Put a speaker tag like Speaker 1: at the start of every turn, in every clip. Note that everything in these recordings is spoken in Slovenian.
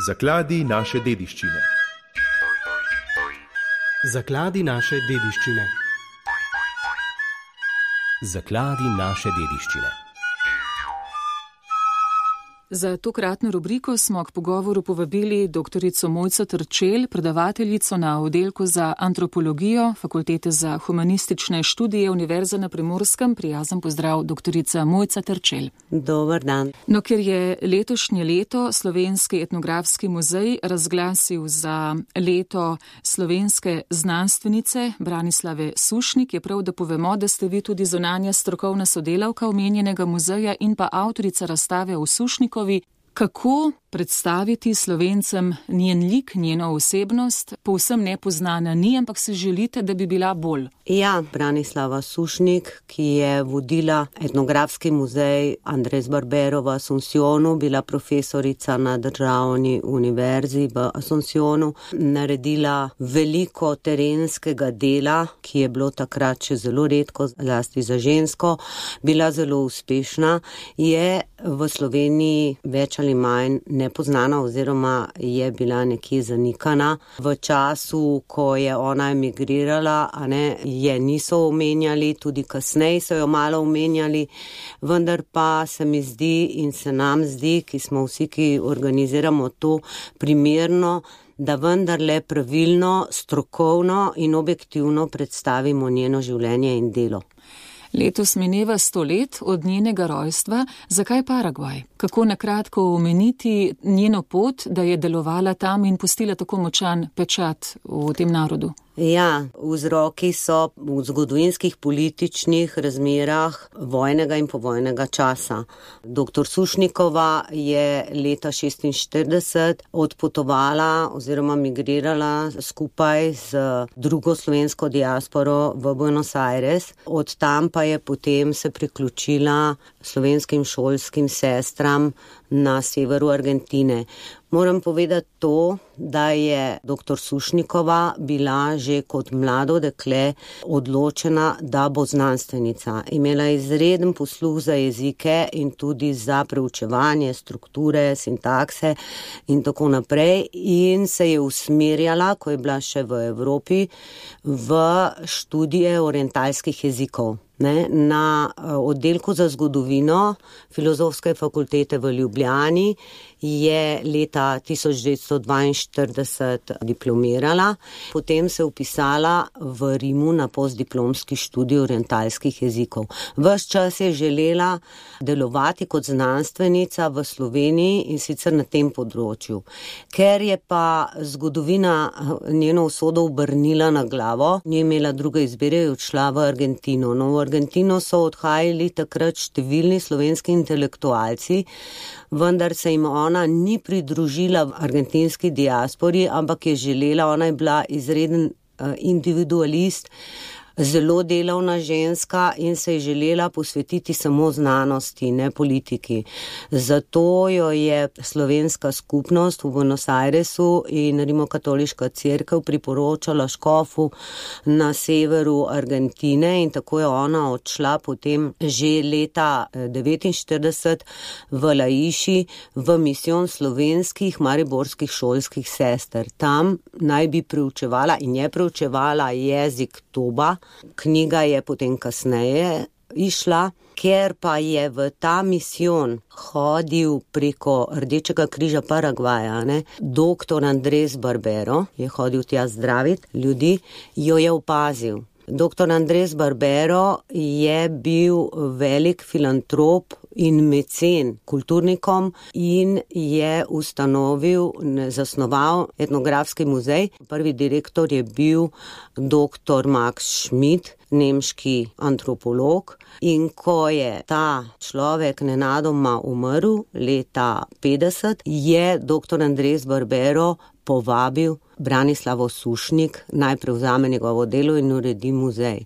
Speaker 1: Zakladi naše dediščine.
Speaker 2: Zakladi naše dediščine.
Speaker 3: Zakladi naše dediščine.
Speaker 4: Za tokratno rubriko smo k pogovoru povabili doktorico Mojco Terčelj, predavateljico na oddelku za antropologijo Fakultete za humanistične študije Univerze na Primorskem. Prijazen pozdrav, doktorica Mojca Terčelj.
Speaker 5: Dober dan.
Speaker 4: No, ker je letošnje leto Slovenski etnografski muzej razglasil za leto slovenske znanstvenice Branislave Sušnik, je prav, da povemo, da ste vi tudi zunanja strokovna sodelavka omenjenega muzeja in pa avtorica razstave v Sušniku. Kako predstaviti Slovencem njen lik, njeno osebnost, povsem nepoznana ni, ampak se želite, da bi bila bolj?
Speaker 5: Ja, Branislava Sušnik, ki je vodila etnografski muzej Andres Barbero v Asuncionu, bila profesorica na Državni univerzi v Asuncionu, naredila veliko terenskega dela, ki je bilo takrat še zelo redko, zlasti za žensko, bila zelo uspešna, je v Sloveniji več ali manj nepoznana oziroma je bila nekje zanikana. V času, ko je ona emigrirala, je niso omenjali, tudi kasneje so jo malo omenjali, vendar pa se mi zdi in se nam zdi, ki smo vsi, ki organiziramo to, primerno, da vendarle pravilno, strokovno in objektivno predstavimo njeno življenje in delo.
Speaker 4: Letos mineva 100 let od njenega rojstva. Zakaj Paragvaj? Kako nakratko omeniti njeno pot, da je delovala tam in pustila tako močan pečat v tem narodu?
Speaker 5: Ja, vzroki so v zgodovinskih političnih razmerah vojnega in povojnega časa. Dr. Sušnikova je leta 1946 odpotovala oziroma migrirala skupaj z drugo slovensko diasporo v Buenos Aires. Od tam pa je potem se priključila slovenskim šolskim sestram na severu Argentine. Moram povedati to, da je dr. Sušnikova bila že kot mlado dekle odločena, da bo znanstvenica. Imela je izreden posluh za jezike in tudi za preučevanje strukture, sintakse in tako naprej in se je usmerjala, ko je bila še v Evropi, v študije orientalskih jezikov. Na oddelku za zgodovino Filozofske fakultete v Ljubljani je leta 1942 diplomirala, potem se upisala v Rimu na postdiplomski študij orientalskih jezikov. Ves čas je želela delovati kot znanstvenica v Sloveniji in sicer na tem področju. Ker je pa zgodovina njeno usodo obrnila na glavo, ni imela druge izbire, je odšla v Argentino. No, v Argentino so odhajali takrat številni slovenski intelektualci, vendar se jim ona ni pridružila v argentinski diaspori, ampak je želela, ona je bila izreden individualist, zelo delavna ženska in se je želela posvetiti samo znanosti, ne politiki. Zato jo je slovenska skupnost v Buenos Airesu in Rimokatoliška cerkev priporočala škofu na severu Argentine in tako je ona odšla potem že leta 1949 v Laiši v misijon slovenskih mariborskih šolskih sester. Tam naj bi preučevala in je preučevala jezik Toba. Knjiga je potem kasneje išla, ker pa je v ta misijon hodil preko Rdečega križa Paragvaja, dr. Andres Barbero, je hodil tja zdraviti ljudi, jo je opazil. Dr. Andres Barbero je bil velik filantrop in mecen kulturnikom in je zasnoval etnografski muzej. Prvi direktor je bil dr. Max Schmidt, nemški antropolog, in ko je ta človek nenadoma umrl leta 50, je dr. Andres Barbero povabil Branislavo Sušnik, naj prevzame njegovo delo in uredi muzej.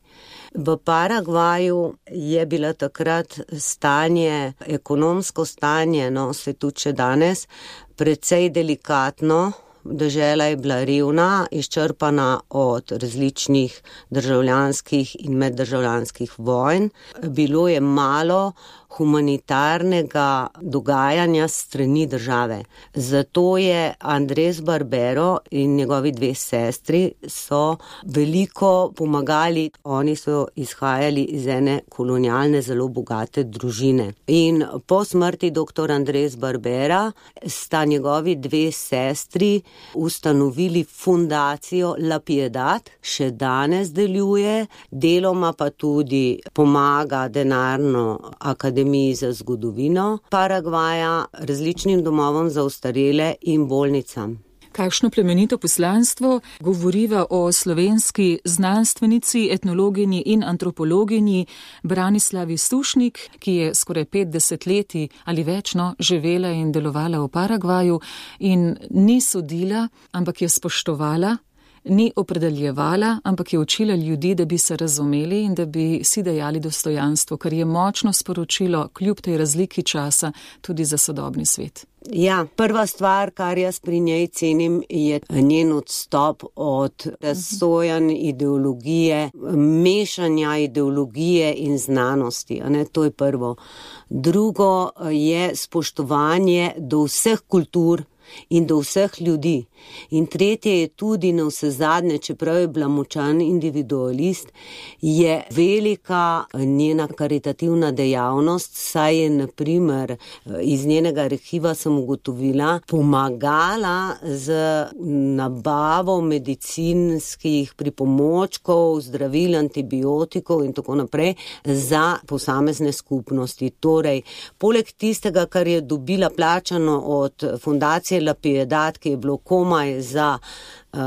Speaker 5: V Paragvaju je bila takrat stanje, ekonomsko stanje, se tudi še danes, precej delikatno. Dežela je bila revna, izčrpana od različnih državljanskih in meddržavljanskih vojn. Bilo je malo humanitarnega dogajanja strani države. Zato je Andres Barbero in njegovi dve sestri so veliko pomagali. Oni so izhajali iz ene kolonialne, zelo bogate družine. In po smrti dr. Andres Barbera sta njegovi dve sestri ustanovili fundacijo La Piedad, še danes deluje, deloma pa tudi pomaga denarno Akademiji za zgodovino Paragvaja, različnim domovom za ostarele in bolnicam.
Speaker 4: Kakšno plemenito poslanstvo govoriva o slovenski znanstvenici, etnologinji in antropologinji Branislavi Sušnik, ki je skoraj 50 leti ali večno živela in delovala v Paragvaju in ni sodila, ampak je spoštovala, ni opredeljevala, ampak je učila ljudi, da bi se razumeli in da bi si dajali dostojanstvo, kar je močno sporočilo kljub tej razliki časa tudi za sodobni svet.
Speaker 5: Ja, prva stvar, kar jaz pri njej cenim, je njen odstop od razsojanj ideologije, mešanja ideologije in znanosti. To je prvo. Drugo je spoštovanje do vseh kultur in do vseh ljudi. In tretje je tudi na vse zadnje, čeprav je bila močan individualist, je velika njena karitativna dejavnost, saj je na primer iz njenega arhiva sem ugotovila, pomagala z nabavo medicinskih pripomočkov, zdravil, antibiotikov in tako naprej za posamezne skupnosti. Torej, poleg tistega, kar je dobila plačano od fundacije La Piedad, ki je bilo komaj za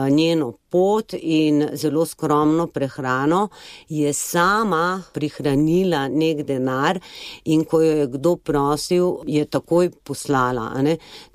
Speaker 5: njeno pot in zelo skromno prehrano, je sama prihranila nek denar in ko jo je kdo prosil, je takoj poslala.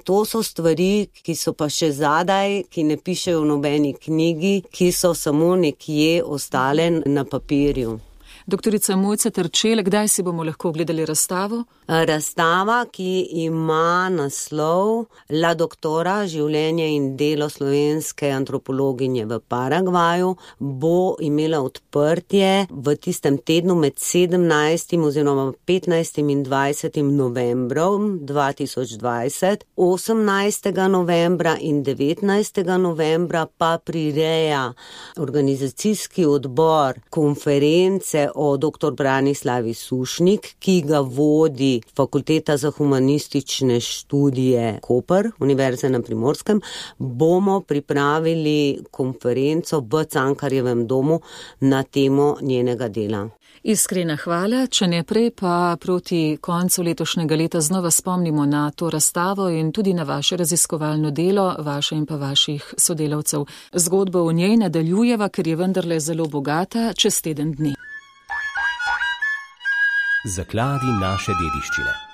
Speaker 5: To so stvari, ki so pa še zadaj, ki ne pišejo v nobeni knjigi, ki so samo nekje ostale na papirju.
Speaker 4: Doktorica Mojca Terčelj, kdaj si bomo lahko gledali razstavo?
Speaker 5: Razstava, ki ima naslov La doktora, življenje in delo slovenske antropologinje v Paragvaju, bo imela odprtje v tistem tednu med 17. oziroma 15. in 20. novembrom 2020, 18. novembra in 19. novembra pa prireja organizacijski odbor konference o dr. Branislavi Sušnik, ki ga vodi Fakulteta za humanistične študije Koper, Univerze na Primorskem, bomo pripravili konferenco v Cankarjevem domu na temo njenega dela.
Speaker 4: Iskrena hvala, če ne prej pa proti koncu letošnjega leta znova spomnimo na to razstavo in tudi na vaše raziskovalno delo, vaše in pa vaših sodelavcev. Zgodba o njej nadaljujeva, ker je vendarle zelo bogata, čez teden dni.
Speaker 3: Zakladi naše dediščine.